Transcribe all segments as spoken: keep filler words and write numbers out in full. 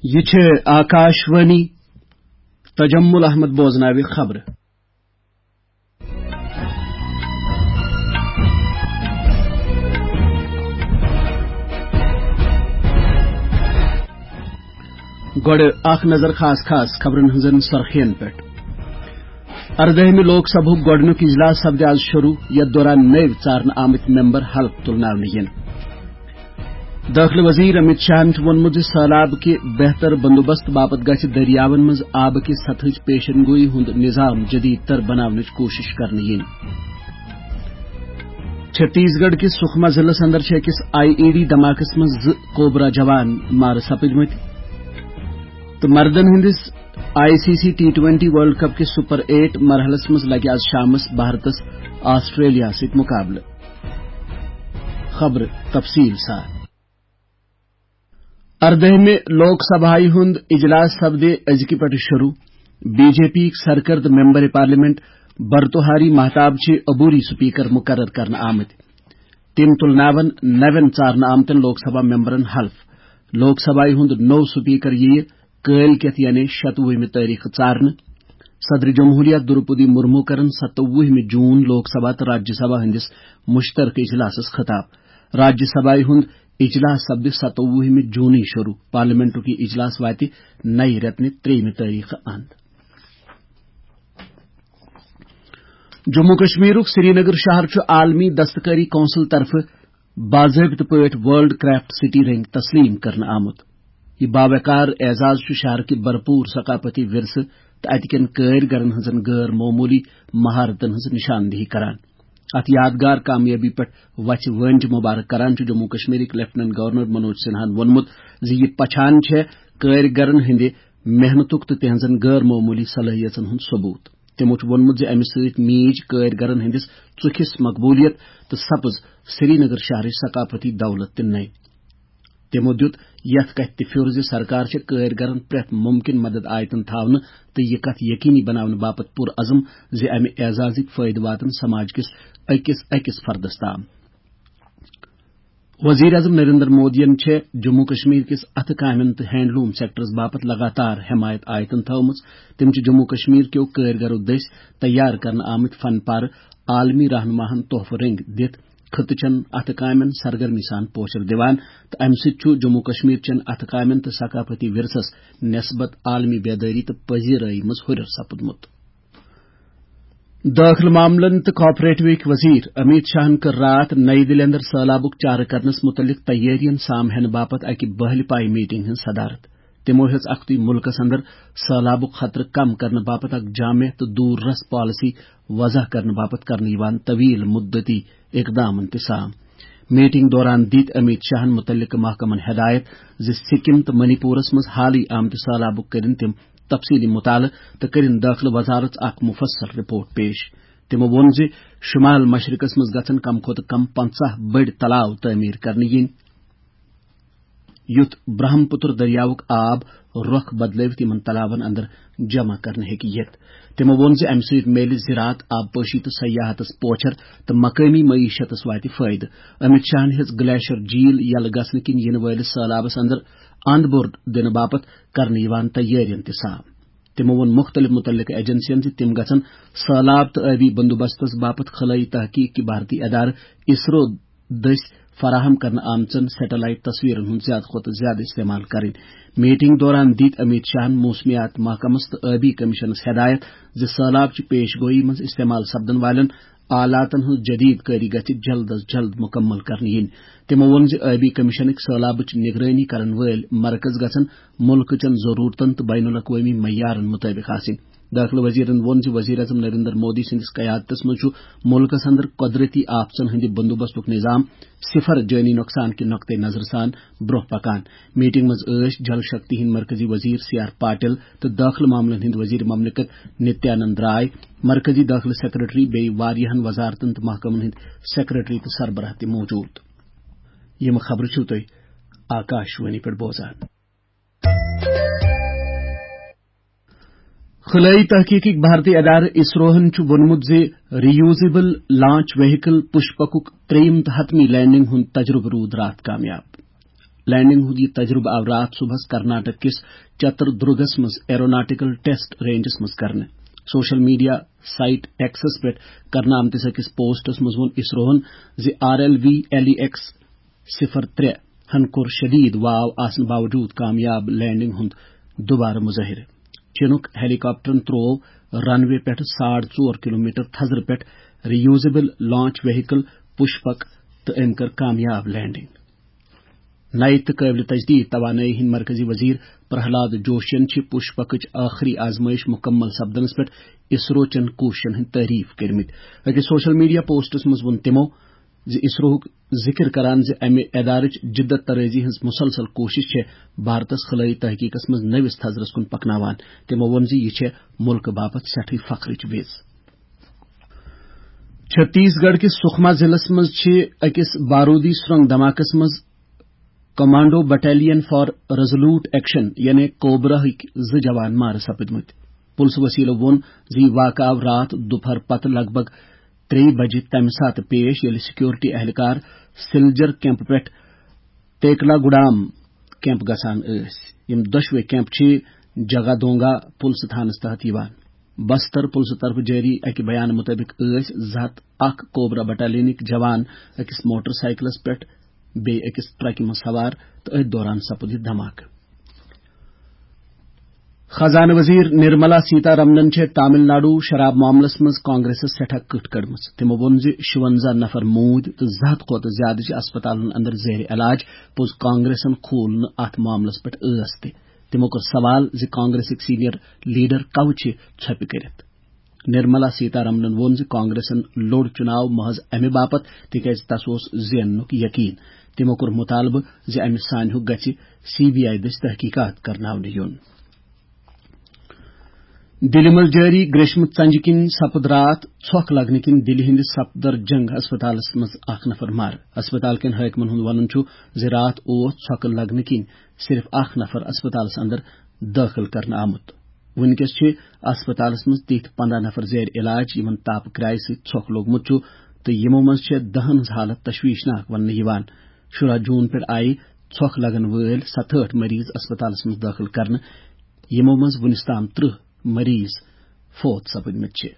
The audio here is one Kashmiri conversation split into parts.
یہِ چھِ آکاشوانی۔ تجمل احمد بوزناوِ خبرٕ۔ گۄڈٕ اکھ نظر خاص خاص خبرن ہٕنٛزن سرخین پٮ۪ٹھ۔ اردٲہمہِ لوک سبھُک گۄڈٕنیُک اجلاس سپدِ آز شروع، یتھ دوران نٔوۍ ژارنہٕ آمٕتۍ ممبر حلف تُلناونہٕ یِن۔ دٲخلہٕ وزیر امیت شاہن چھُ ووٚنمُت زِ سہلاب کہِ بہتر بندوبست باپتھ گژھِ دٔریاون منٛز آبہٕ کہِ سطحٕچ پیشن گویی ہُنٛد نظام جدید تر بناونٕچ کوٗشش کرنہٕ یِنۍ۔ چھتیس گڑھ کِس سکھما ضلعس اندر چھِ أکِس آئی ای ڈی دھماکس منٛز زٕ کوبرا جوان مارٕ سپٕدمٕتۍ تہٕ مردن ہٕنٛدِس I C C T twenty world cup کِس سپر ایٹ مرحلس منٛز لگہِ آز شامس بھارتس آسٹریلیا سۭتۍ مقابلہٕ۔ خبرٕ تفصیل سان۔ اردٲہمہِ لوک سبھایہِ ہُنٛد اجلاس سپدِ أزکہِ پٮ۪ٹھٕ شروع۔ بی جے پی یِکۍ سرکردٕ ممبر پارلیمنٹ برتوہاری مہتاب چھِ عبوری سپیکر مقرر کرنہٕ آمٕتۍ۔ تِم تُلناون نوٮ۪ن ژارنہٕ آمتٮ۪ن لوک سبھا ممبرن حلف۔ لوک سبھایہِ ہُنٛد نوٚو سپیکر یِیہِ کٲلۍ کٮ۪تھ یعنی شتوُہمہِ تٲریخہٕ ژارنہٕ۔ صدر جمہوریہ دروپدی مرمو کرن ستووُہمہِ جون لوک سبھا تہٕ راجیہ سبھا ہٕنٛدِس مشترکہٕ اجلاسس خطاب۔ راجیہ سبھایہِ ہُنٛد اجلاس سپدِ ستووُہمہِ جونٕے شروع۔ پارلیمنٹُک یہِ اجلاس واتہِ نَیہِ رٮ۪تہٕ نہِ ترٛیٚیِمہِ تٲریخہٕ اند۔ جموں کشمیرُک سرینگر شہر چھُ عالمی دستکاری کونسل طرفہٕ باضٲبطہٕ پٲٹھۍ ورلڈ کرافٹ سٹی رنگۍ تسلیم کرنہٕ آمُت۔ یہِ باوقار اعزاز چھُ شہر کہِ بھرپور ثقافتی ورثہٕ تہٕ اتہِ کٮ۪ن کٲرۍ گرن ہٕنٛزن غٲر معموٗلی مہارتن ہٕنٛز نشاندہی کران۔ اتھ یادگار کامیٲبی پٮ۪ٹھ وژھِ وٲنج مبارک کران چھُ جموں کشمیرٕکۍ لیفٹیننٹ گورنر منوج سنہاہن ووٚنمُت زِ یہِ پہچان چھےٚ کٲرۍ گرن ہٕنٛدِ محنتُک تہٕ تِہنٛزن غٲر معموٗلی صلٲحیژن ہُنٛد ثبوت۔ تِمو چھُ ووٚنمُت زِ امہِ سۭتۍ میٖج کٲرۍ گرن ہٕنٛدِس ژُکھِس مقبولیت تہٕ سپٕز سرینگر شہرٕچ ثقافتی دولت تہِ نَیہِ۔ تِمو دیُت یتھ کتھِ تہِ پھیُر زِ سرکار چھےٚ کٲرۍ گرن پرٛٮ۪تھ ممکن مدد آیتن تھاونہٕ تہٕ یہِ کتھ یقینی بناونہٕ باپتھ پُرعزم زِ امہِ اعزازٕکۍ فٲیدٕ واتن سماج کِس أکِس أکِس فردس تام۔ وزیر اعظم نریندر مودیَن چھےٚ جموں کشمیر کِس اتھٕ کامٮ۪ن تہٕ ہینڈلوم سیکٹرس باپتھ لگاتار حمایت آیتن تھٲومٕژ۔ تِم چھِ جموں کشمیر کیو کٲرۍ گرو دٔسۍ تیار کرنہٕ آمٕتۍ فن پارٕ عالمی رہنماہن تحفہٕ رٔنگۍ دِتھ خطہٕ چٮ۪ن اتھٕ کامٮ۪ن سرگرمی سان پوچھر دِوان تہٕ امہِ سۭتۍ چھُ جموں کشمیر چٮ۪ن اتھٕ کامٮ۪ن تہٕ ثقافتی ورثس نسبت عالمی بیدٲری تہٕ پذیرٲیی منٛز ہُرٮ۪ر سپُدمُت۔ دٲخلہٕ معاملن تہٕ کاپریٹوٕکۍ وزیر امیت شاہن کٔر راتھ نئی دِلہِ اندر سہلابُک چارٕ کرنس مُتعلق تیٲرین سام ہینہٕ باپتھ اکہِ بہلہِ پایہِ میٹنگ ہٕنٛز صدارت۔ تِمو ہیٚژ اکھتُے مُلکس اندر سہلابُک خطرٕ کم کرنہٕ باپتھ اکھ جامع تہٕ دوٗر رس پالیسی وضع کرنہٕ باپتھ کرنہٕ یِوان طویل مدتی اقدامن تہِ سام۔ میٹنگ دوران دِتۍ امیت شاہن مُتعلقہٕ محکمن ہدایت زِ سکم تہٕ منی پورس منٛز حالٕے آمتہِ سہلابُک کٔرِن تِم تفصیلی مطالعہٕ تہٕ کٔرِن دٲخلہٕ وزارت اکھ مفصل رپورٹ پیش۔ تِمو ووٚن زِ شمال مشرقس منٛز گژھن کم کھۄتہٕ کم پنژاہ بٔڑۍ تلاو تعمیٖر کرنہٕ یِنۍ، یُتھ برہم پُتر دٔریاوُک آب رۄخ بدلٲوِتھ یِمن تلاون اندر جمع کرنہٕ ہیٚکہِ یِتھ۔ تِمو ووٚن زِ امہِ سۭتۍ میلہِ زراعت، آبپٲشی تہٕ سیاحتس پوچھر تہٕ مقٲمی معیشتس واتہِ فٲیدٕ۔ امیت شاہن ہیٚژ گلیشر جھیل یلہٕ گژھنہٕ کِنۍ یِنہٕ وٲلِس سہلابس اندر اند بوٚر دِنہٕ باپتھ کرنہٕ یِوان تیٲرین تہِ سام۔ تِمو ووٚن مُختٔلِف مُتعلقہٕ ایجنسین زِ تِم گژھن سہلاب تہٕ ٲبی بندوبستس باپتھ خلٲیی تحقیق کہِ بھارتی ادارٕ اسرو دٔسۍ فراہم کرنہٕ آمژن سیٹلائٹ تصویرن ہُنٛد زیادٕ کھۄتہٕ زیادٕ استعمال کرٕنۍ۔ میٹنگ دوران دِتۍ امیت شاہن موسمیات محکمس تہٕ ٲبی کمیشنس ہدایت زِ سہلاب چہِ پیش گوئی منٛز استعمال سپدن والٮ۪ن آلاتن ہٕنٛز جدید کٲری گژھِ جلد از جلد مکمل کرنہٕ یِنۍ۔ تِمو ووٚن زِ ٲبی کمیشنٕکۍ سہلابٕچ نگرٲنی کرن وٲلۍ مرکز گژھن مُلکہٕ چٮ۪ن ضروٗرتن تہٕ بین الاقوٲمی معیارن مُطٲبِق آسٕنۍ۔ دٲخلہٕ وزیرن ووٚن زِ وزیر اعظم نریندر مودی سٕنٛدِس قیادتس منٛز چھُ مُلکس اندر قۄدرتی آفژن ہٕنٛدِ بندوبستُک نظام صفر جٲنی نۄقصان کہِ نۄقطہٕ نظرٕ سان برٛونٛہہ پکان۔ میٹنگ منٛز ٲسۍ جل شکتی ہٕنٛدۍ مرکزی وزیر سی آر پاٹل تہٕ دٲخلہٕ معاملن ہٕنٛدۍ وزیر مملکت نتیانند راے، مرکزی دٲخلہٕ سیکرٹری بیٚیہِ واریاہن وزارتن تہٕ محکمن ہٕنٛدۍ سیکرٹری تہٕ سربراہ تہِ موجود۔ یِم خبرٕ چھِو تُہۍ آکاشوانی پٮ۪ٹھ بوزان۔ خلٲیی تحقیقٕکۍ بھارتی ادارٕ اسروہن چھُ ووٚنمُت زِ ریوزیبل لانچ وہیکل پُشپکُک ترٛیٚیِم تہٕ حتمی لینڈنگ ہُنٛد تجربہٕ روٗد راتھ کامیاب۔ لینڈنگ ہُنٛد یہِ تجربہٕ آو راتھ صبحس کرناٹک کِس چتر درگس منٛز ایروناٹیکل ٹیسٹ رینجس منٛز کرنہٕ۔ سوشل میڈیا سائٹ ایکسس پٮ۪ٹھ کرنہٕ آمتِس أکِس پوسٹس منٛز ووٚن اسروہن زِ R L V L E X صفر ترٛےٚ ہن کوٚر شدید واو آسنہٕ باوجود کامیاب لینڈنگ ہُنٛد دوبارٕ مظٲہرٕ۔ چینُک ہیلی کاپٹرن تروو رن وے پٮ۪ٹھ ساڑ ژور کلومیٹر تھزرٕ پٮ۪ٹھ ریوزیبل لانچ وہیکل پشپک تہٕ أمۍ کٔر کامیاب لینڈنگ۔ نَیہِ تہٕ قٲبلِ تجدید توانٲیی ہٕنٛدۍ مرکزی وزیر پرہلاد جوشین چھِ پُشپکٕچ ٲخری آزمٲیش مُکمل سپدنس پٮ۪ٹھ اسرو چٮ۪ن کوٗششن ہٕنٛدۍ تعریف کٔرمٕتۍ۔ أکِس سوشل میڈیا پوسٹس منٛز ووٚن تِمو زِ اسروہُک ذِکر کران زِ امہِ ادارٕچ جدت طرٲزی ہٕنٛز مُسلسل کوٗشش چھےٚ بھارتس خلٲیی تحقیقس منٛز نٔوِس تھزرس کُن پکناوان۔ تِمو ووٚن زِ یہِ چھےٚ مُلکہٕ باپتھ سٮ۪ٹھٕے فخرٕچ وِز۔ چھتیس گڑھ کِس سکھما ضلعس منٛز چھِ أکِس بارودی سرنگ دھماکس منٛز commando battalion for resolute action یعنی کوبراہٕکۍ زٕ جوان مارٕ سپٕدمٕتۍ۔ پُلسہٕ وسیلو ووٚن زِ یہِ واقعہٕ آو راتھ دُپہر پتہٕ لگ بگ ترٛیٚیہِ بجہِ تمہِ ساتہٕ پیش، ییٚلہِ سیکورٹی اہلکار سلجر کیمپ پٮ۪ٹھ تیکلا گڈام کیمپ گژھان ٲسۍ۔ یِم دۄشوے کیمپ چھِ جگادونگا پُلسہٕ تھانس تحت یِوان۔ بستر پُلسہٕ طرفہٕ جٲری اکہِ بیان مُطٲبِق ٲسۍ زٕ ہتھ اکھ کوبرا بٹالینٕکۍ جوان أکِس موٹر سائیکلس پٮ۪ٹھ بیٚیہِ أکِس ٹرکہِ منٛز سوار تہٕ أتھۍ دوران سپُد یہِ دھماکہٕ۔ خزانہٕ وزیر نرملا سیتا رمنن چھےٚ تامل ناڈو شراب معاملس منٛز کانگریسس سٮ۪ٹھاہ کٕٹھ کٔڑمٕژ۔ تِمو ووٚن زِ شُونزاہ نفر موٗدۍ تہٕ زٕ ہتھ کھۄتہٕ زیادٕ چھِ اسپتالن اندر زیر علاج۔ پوٚز کانگریسن کھوٗل نہٕ اتھ معاملس پٮ۪ٹھ ٲس تہِ۔ تِمو کوٚر سوال زِ کانگریسٕکۍ سینئر لیڈر کوٕ چھِ ژھۄپہِ کٔرِتھ۔ نرملا سیتا رمنن ووٚن زِ کانگریسن لوٚڑ چُناو محض امہِ باپتھ تِکیازِ تس اوس زیننُک یقین۔ تِمو کوٚر مُطالبہٕ زِ امہِ سانحُک گژھِ سی بی آئی دٔسۍ تحقیقات کرناونہٕ یُن۔ دِلہِ منٛز جٲری گریشمہٕ ژنجہِ کِنۍ سپُد راتھ ژھۄکھ لگنہٕ کِنۍ دِلہِ ہٕنٛدِ سفدر جنگ ہسپتالس منٛز اکھ نفر مارٕ۔ ہسپتال کٮ۪ن حٲکمن ہُنٛد ونُن چھُ زِ راتھ اوس ژھۄکہٕ لگنہٕ کِنۍ صرف اکھ نفر اسپتالس اندر دٲخل کرنہٕ آمُت۔ وُنکیٚس چھِ اسپتالس منٛز تِتھۍ پنداہ نفر زیر علاج، یِمن تاپہٕ کرایہِ سۭتۍ ژھۄکھ لوٚگمُت چھُ تہٕ یِمو منٛز چھےٚ دَہن ہٕنٛز حالت تشویشناک وننہٕ یِوان۔ شُراہ جوٗن پٮ۪ٹھ آیہِ ژھۄکھ لگن وٲلۍ ستہٲٹھ مریض اسپتالس منٛز دٲخل کرنہٕ، یِمو منٛز وُنِس تام ترٕٛہ مریض فوت سپٕدمٕتۍ چھِ۔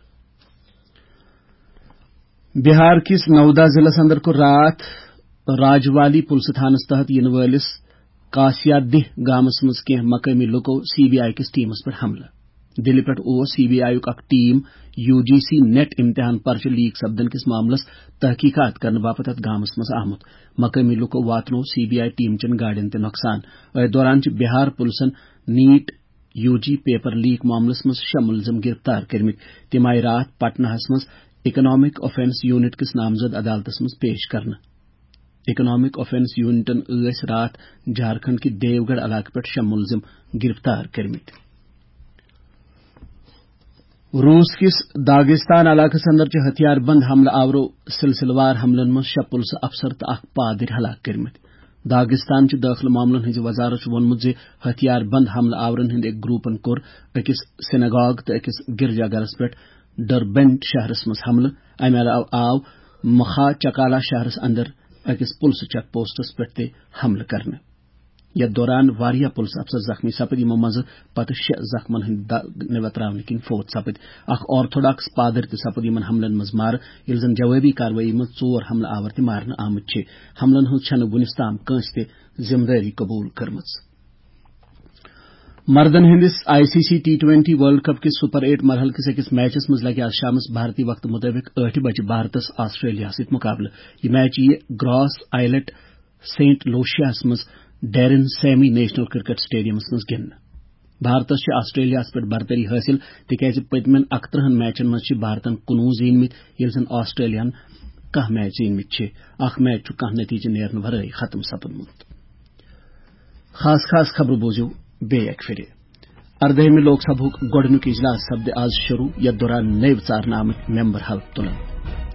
بہار کِس نودا ضلعس اندر کوٚر راتھ راجوالی پُلسہٕ تھانس تحت یِنہٕ وٲلِس کاسیا دیہ گامس منٛز کینٛہہ مقٲمی لوٗکو سی بی آئی کِس ٹیمس پٮ۪ٹھ حملہٕ۔ دِلہِ پٮ۪ٹھ اوس سی بی آئی یُک اکھ ٹیم یو جی سی نیٹ امتحان پرچہٕ لیک سپدن کِس معاملس تحقیقات کرنہٕ باپتھ اتھ گامس منٛز آمُت۔ مقٲمی لوٗکو واتنوو سی بی آئی ٹیم چٮ۪ن گاڑٮ۪ن تہِ نۄقصان۔ أتھۍ دوران چھِ بہار پُلسن نیٹ یو جی پیپر لیک معاملس منٛز شےٚ مُلزِم گرفتار کٔرمٕتۍ۔ تِم آیہِ راتھ پٹنہس منٛز اکنامک آفینس یونٹ کِس نامزد عدالتس منٛز پیش کرنہٕ۔ اکنامک آفینس یونٹن ٲسۍ راتھ جھارکھنڈ کہِ دیوگڑھ علاقہٕ پٮ۪ٹھ شےٚ مُلزِم گرفتار کٔرمٕتۍ۔ روٗس کِس داغستان علاقس اندر چھِ ہتھیار بند حملہٕ آورو سلسلہٕ وار حملن منٛز شےٚ پُلسہٕ افسر تہٕ اکھ پادٕرۍ ہلاک کٔرمٕتۍ۔ داغستان چہِ دٲخلہٕ معاملن ہٕنٛزِ وزارت چھُ ووٚنمُت زِ ہتھیار بند حملہٕ آورن ہٕنٛدِ أکۍ گروپن کوٚر أکِس سیناگاگ تہٕ أکِس گرجا گرس پٮ۪ٹھ ڈربنٹ شہرس منٛز حملہٕ۔ امہِ علاوٕ آو مخا چکالا شہرس اندر أکِس پُلسہٕ چیک پوسٹس پٮ۪ٹھ تہِ حملہٕ کرنہٕ۔ یتھ دوران واریاہ پُلسہٕ افسر زخمی سپٕدۍ، یِمو منٛزٕ پتہٕ شےٚ زخمن ہٕنٛدۍ دَگ نٮ۪بر ترٛاونہٕ کِنۍ فوت سپٕدۍ۔ اکھ آرتھوڈاکس پادٕرۍ تہِ سپُد یِمن حملن منٛز مارٕ، ییٚلہِ زن جوٲبی کاروٲیی منٛز ژور حملہٕ آور تہِ مارنہٕ آمٕتۍ چھِ۔ حملن ہٕنٛز چھنہٕ وُنِس تام کٲنٛسہِ تہِ ذمہٕ دٲری قبول کٔرمٕژ۔ مردن ہٕنٛدِس I C C T twenty world cup کِس سپر ایٹ مرحلہٕ کِس أکِس میچس منٛز لگہِ آز شامس بھارتی وقتہٕ مُطٲبِق ٲٹھِ بجہِ بھارتس آسٹریلیاہس سۭتۍ مُقابلہٕ۔ یہِ میچ یِیہِ گراس آیلٹ سینٹ لوشیاہس منٛز ڈیرن سیمی نیشنل کرکٹ سٹیڈیمس منٛز گِنٛدنہٕ۔ بھارتس چھِ آسٹریلیاہس پٮ۪ٹھ برتری حٲصِل، تِکیازِ پٔتمٮ۪ن اَکترٕہن میچن منٛز چھِ بھارتن کُنوُہ زیٖنمٕتۍ، ییٚلہِ زن آسٹریلیاہن کاہ میچ زیٖنمٕتۍ چھِ۔ اکھ میچ چھُ کانٛہہ نتیجہٕ نیرنہٕ ورٲے ختم سپُدمُت۔ خاص خاص خبرٕ بوٗزِو بیٚیہِ اکہِ پھِرِ۔ اردٲہمہِ لوک سبھُک گۄڈٕنیُک اجلاس سپدِ آز شروع، یتھ دوران نٔوۍ ژارنہٕ آمٕتۍ ممبر حلف تُلن۔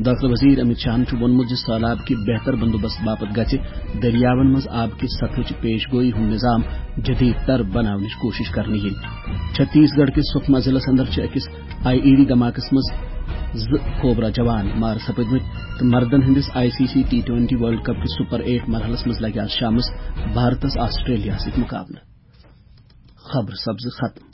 دٲخلہٕ وزیر امت شاہن چھُ ووٚنمُت زِ سہلاب کہِ بہتر بندوبست باپتھ گژھِ دٔریاون منٛز آب کہِ سطحٕچ پیش گویی ہُنٛد نظام جدید تر بناونٕچ کوٗشش کرنہٕ یِنۍ۔ چھتیس گڑھ کِس سکما ضلعس اندر چھِ أکِس آئی ای ڈی دھماکس منٛز زٕ کوبرا جوان مارٕ سپٕدمٕتۍ تہٕ مردن ہٕنٛدِس I C C T twenty world cup کِس سپر ایٹ مرحلس منٛز لگہِ آز شامس بھارتس آسٹریلیاہس سۭتۍ مقابلہٕ۔ خبر سپزٕ ختم۔